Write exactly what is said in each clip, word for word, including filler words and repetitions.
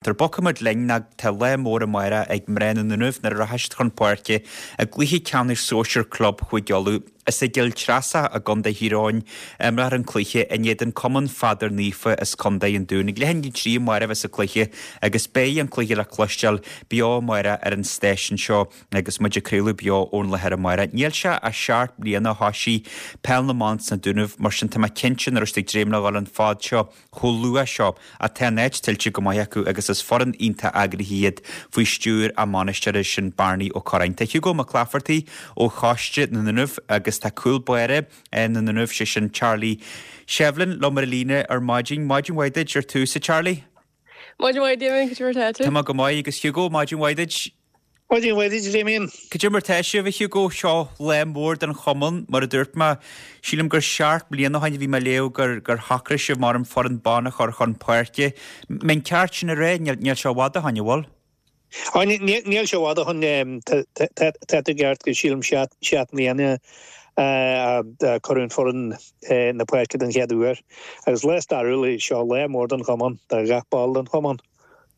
Tar bogfaimid linn ná tá lá mór amárach ag mná na nDúnaibh nuair a rachaidh siad chun páirce i gcluiche ceannais sóisir club Chúige Uladh. Is i gCill Treasa i gContae Thír Eoghain a imreofar an cluiche in éadan Cumann Pheadair Naofa as Contae an Dúin. Ag leath i ndiaidh a trí amárach a bheas an cluiche agus beidh an cluiche le cloisteáil beo amárach ar an stáisiún seo agus muid ag craoladh beo ón láthair amárach. Níl sé ach seacht mbliana ó thoisigh Peil na mBan sna Dúnaibh, mar sin tá mé cinnte nach raibh siad ag dréim le dhul an fad seo chomh luath seo ach tá an áit tuillte go maith acu agus is foireann iontach eagraithe iad faoi stiúir a mbainisteora sin Barney Ó Curráin. Tá Hugo Mac Laifeartaigh ó Choiste na nDúnaibh agus tá cúl báire na nDúnaibh, sé sin Charlie Shevlin liom ar an líne ar maidin. Maidin mhaith duit ar tús, a Charlie. Maidin mhaith Damien, cad é mar tá tú? Tá mé go maith agus Hugo, maidin mhaith duit. Maidin mhaith duit, Damien. Cad é mar tá sibh, a Hugo? Seo lá mór don chumann, mar a dúirt mé. Sílim gur seacht mbliana ó shin a bhí mé ag léamh gur gur shocraigh sibh mar an foireann ban a chur chun páirce. An ceart sin a rá? Níl níl sé i bhfad ó shin, an bhfuil? Á, níl sé i bhfad ó shin. Tá tú ceart go sílim seacht seacht mbliana a cuireadh an foireann na páirce den chéad uair. Agus lá stairiúil é seo, lá mór don chumann, do gach ball den chumann.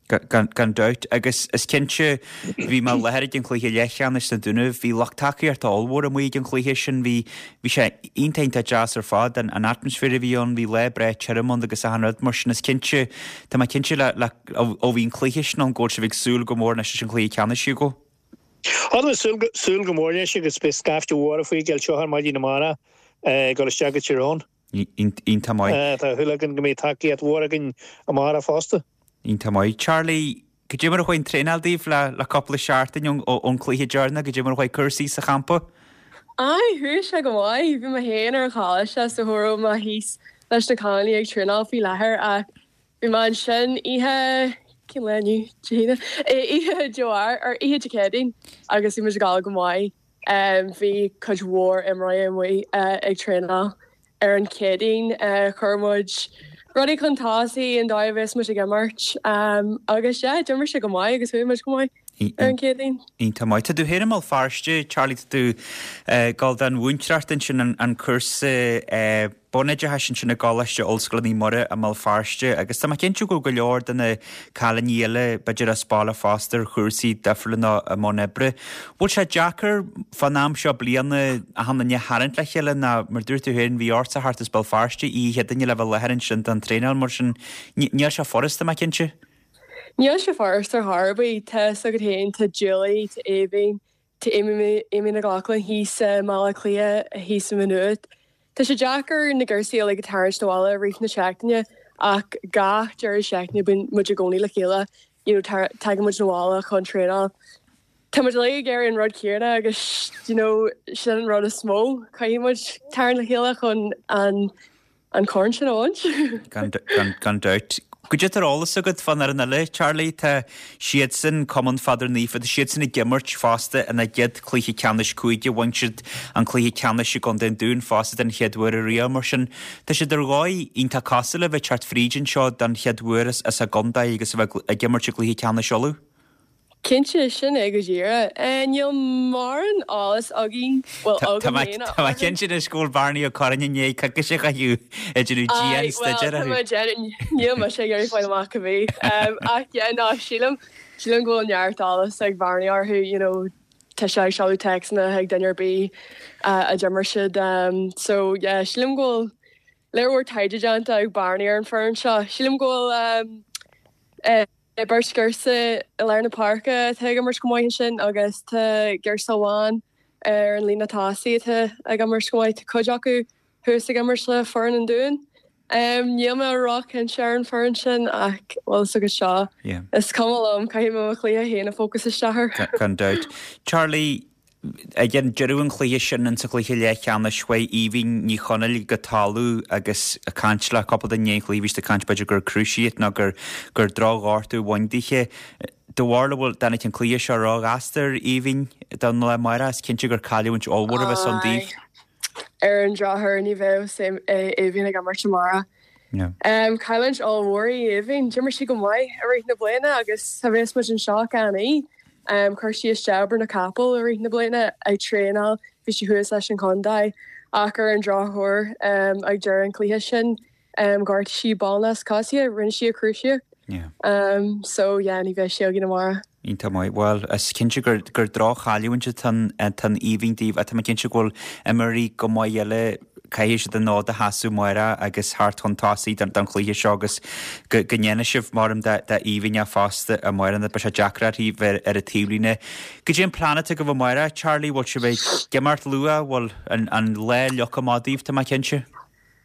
Gan dabht. Agus is cinnte, bhí mé i láthair ag an chluiche leathcheannais sna Dúnaibh, bhí lucht tacaíochta ollmhór amuigh ag an chluiche sin, bhí bhí sé iontach iontach deas ar fad, an an atmaisféar a bhí ann, bhí lá breá tirim ann agus achan rud mar sin, is cinnte, tá mé cinnte le le ó bhí an cluiche sin ann go bhfuil sibh ag súil go mór anois leis an chluiche ceannais, Hugo. Tá mé ag súil súil go mór leis agus beidh scaifte mhór faoi gCill seo ar maidin amárach ag dul isteach go Tír Eoghain. Iontach maith. Tá súil againn go mbeidh tacaíocht mhór againn amárach fosta. Iontach maith. Charlie, cad é mar a chuaigh an traenáil daoibh le le cúpla seachtain ón ón cluiche deireanach, cad é mar a chuaigh cúrsaí sa champa? Aye, chuaigh sé go maith. Bhí mé féin ar an choláiste so cha raibh mé thíos leis na cailíní ag traenáil faoi láthair ach bhí mé ansin oíche, cén lá inniu? Dé hAoine? Oíche Dé Mháirt, or oíche Dé Céadaoin agus bhí muid ag gabháil go maith. Bhí cuid mhór imreoirí amuigh ag traenáil. Ar an Chéadaoin chuir muid rudaí chun tosaigh an dóigh a bheas muid ag imirt agus yeah, d'imir sé go maith agus bhuaigh muid go maith ar an Chéadaoin. Iontach maith. Tá tú féin i mBéal Feirste, Charlie, tá tú ag dul don mhúinteoireacht ansin, an cúrsa bunoideachais ansin i gColáiste Ollscoile Naomh Muire i mBéal Feirste agus tá mé cinnte go bhfuil go leor de na cailíní eile, b'fhéidir as baile fosta ar chúrsaí difriúla nó i mbun oibre. Bhfuil sé deacair fán am seo bliana achan duine a tharraingt le chéile nó mar dúirt tú féin bhí ortsa theacht as Béal Feirste oíche Chéadaoine le bheith i láthair ansin don traenáil mar sin níl sé furasta mé cinnte. Níl sé furasta ar chor ar bith. Tá fhios agat féin, tá Julie, tá Aoibhinn, tá Amy Amy McLaughlin thíos i mBaile Átha Cliath, thíos i Maigh Nuad. Tá sé deacair na girsaí uilig a tarraingt abhaile i rith na seachtaine ach gach deireadh seachtaine bíonn muid i gcónaí le chéile, you know, tagann muid abhaile chun traenáil. Tá muid uilig ag iarraidh an rud céanna agus, you know, sin an rud is mó, caithfidh muid tarraingt le chéile chun an an corn sin a bhaint. Gan dabht. Goidé tá ar eolas agat fán fhoireann eile, Charlie? Tá siadsan, Cumann Pheadair Naofa, tá siadsan ag imirt fosta ina gcéad chluiche ceannais cúige. Bhain siad an cluiche ceannais i gContae an Dúin fosta den chéad uair ariamh. Mar sin, tá siad ar dhóigh iontach cosúil le bheith ag teacht fríd anseo den chéad uair as a gcontae agus a bheith ag imirt i gcluiche ceannais Uladh. Cinnte, sin é go díreach. Níl mórán eolas againn, bhuel, Tá agam mé féin tá mé orthu. cinnte anois go bhfuil Barney Ó Curráin i ndiaidh coicís a chaitheamh ag déanamh Aye, bhuel, dian-staidéir tá orthu. mé ag déanamh, níl mise ag iarraidh fáil amach cibé. Ach yeah, no, sílim, sílim go bhfuil neart eolas ag Barney orthu, you know, tá sé ag seoladh téacsanna chuig duine ar bith a d'imir siad. So yeah, sílim go bhfuil léar mhór taighde déanta ag Barney ar an foireann seo. Sílim go bhfuil beirt ghirse i lár na páirce atá ag imirt go maith ansin agus tá girse amháin ar an líne tosaigh atá ag imirt go maith. Tá cuid acu thuas ag imirt le foireann an Dúin. Níl mé róchinnte ar an foireann sin ach bhfuil fhios agat seo. Is cuma liom, caithfidh mé mo chluiche féin a focus isteach air. Gan dabht. Charlie, Ag deireadh an chluiche sin, insa chluiche leathcheannais, chuaigh Aoibhinn Ní Chonaill go talamh agus ag caint le cúpla duine i ndiaidh an chluiche, bhí siad ag caint b'fhéidir gur cruciate nó gur gur drochghortú a bhain dithe. Do bharúil an bhfuil, dtáinig an cluiche seo róghasta ar Aoibhinn don lá amárach? Is cinnte gur cailliúint ollmhór a bheas ann daoibh. Ar an drochuair ní bheidh Aoibhinn ag imirt amárach. Cailliúint ollmhór í Aoibhinn. D'imir sí go maith i rith na bliana agus cha bheas muid anseo gan í. Chuir sí isteach obair na gcapall i rith na bliana ag traenáil, bhí sí thuas leis an chontae ach ar an drochuair ag deireadh an chluiche sin ghortaigh sí ballnasc coise, rinne sí a cruciate. Yeah. Um, so yeah, ní bheidh sé againn amárach. Iontach maith. Bhuel, is cinnte gur gur droch-chailliúint atá in Aoibhinn daoibh ach tá mé cinnte go bhfuil imreoirí go maith eile caithfidh siad an fód a sheasamh amárach agus theacht chun tosaigh don don chluiche seo agus go go ndéanfaidh sibh maram d'Aoibhinn fosta amárach nó beidh sé deacair uirthi bheith ar an taobhlíne. Goidé an plean atá agaibh amárach, Charlie, bhfuil sibh ag imeacht luath, bhfuil an an lá leagtha amach daoibh, tá mé cinnte?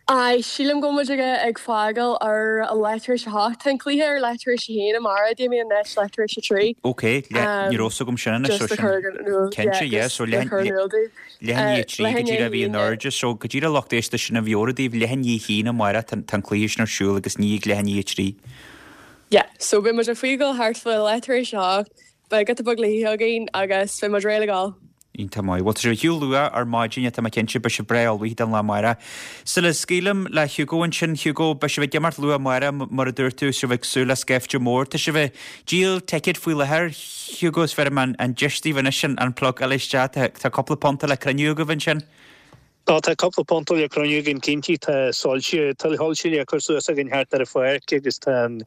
Aye, sílim go muid ag ag fágáil ar a leath tar éis a hocht. Tá an cluiche ar leath tar éis a haon amárach, Damien anois leath tar éis a trí. Ok, ní raibh fhios agam sin anois, so Just sin cinnte, yeah, so leath leath i ndiaidh a trí go díreach a bhí in airde, so go díreach lucht éisteachta sin a mheabhrú daoibh, leath i ndiaidh a haon amárach tá an cluiche sin ar siúl agus ní ag leath i ndiaidh a trí. Yeah, so beidh muid ag fágáil thart fá leath tar éis a hocht, beidh giota beag le hithe againn agus beidh muid réidh le gabháil. Iontach maith. Bhuel, tá sibh ar shiúl luath ar maidin, tá mé cinnte, beidh sibh breá ullmhaithe don lá amárach. Sula scaoilim le Hugo ansin, Hugo, beidh sibh ag imirt luath amárach, mar a dúirt tú, sibh ag súil le scaifte mór. Tá sibh ag díol ticéad faoi láthair, Hugo, is bhéarfaidh mé an deis daoibh anois an plugáil isteach. Tá cúpla punt le cruinniú agaibh ansin? Tá, tá cúpla punt le cruinniú againn cinnte. Tá soilse, tá soilse le cur suas againn thart ar an pháirc agus tá an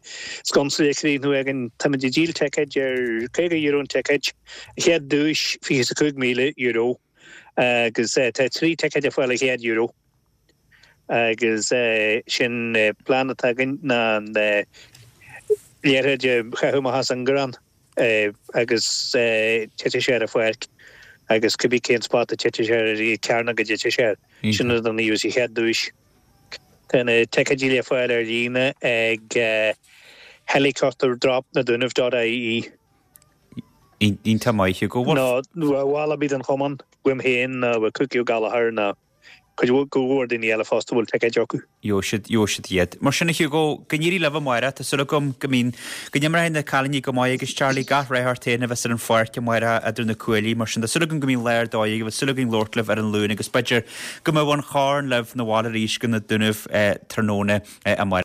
sconsa le críochnú againn. Táimid ag díol ticéid ar caoga euro an ticéad, an chéad duais fiche is a cúig míle euro agus tá trí ticéad ar fáil ar chéad euro agus sin plean atá againn ná an liathróid a chaitheamh amach as an ngarrán agus titfidh sé ar an pháirc agus cibé cén spot a titfidh sé ar an cearnóg a dtitfidh sé air, sin an gheobhaidh an chéad duais. Tá na ticéidí le fáil ar líne ag helicopterdrop na Dúnaibh dot ie. Iontach maith, Hugo. Nó ball ar bith den chumann, uaim féin nó ó Cookie Ó Gallchóir nó cuid go mhór daoine eile fosta a bhfuil ticéid acu. Gheobhaidh siad, gheobhaidh siad iad. Mar sin a Hugo, go n-éirí libh amárach, tá súil agam go mbíonn, go n-imreoidh na cailíní go maith agus Charlie gach rath ort féin a bheas ar an pháirc amárach idir na cuaillí. Mar sin, tá súil agam go mbíonn lá ar dóigh agaibh, súil againn labhairt libh ar an Luan agus b'fhéidir go mbeadh an chorn libh 'na bhaile arís go na Dúnaibh tráthnóna amárach.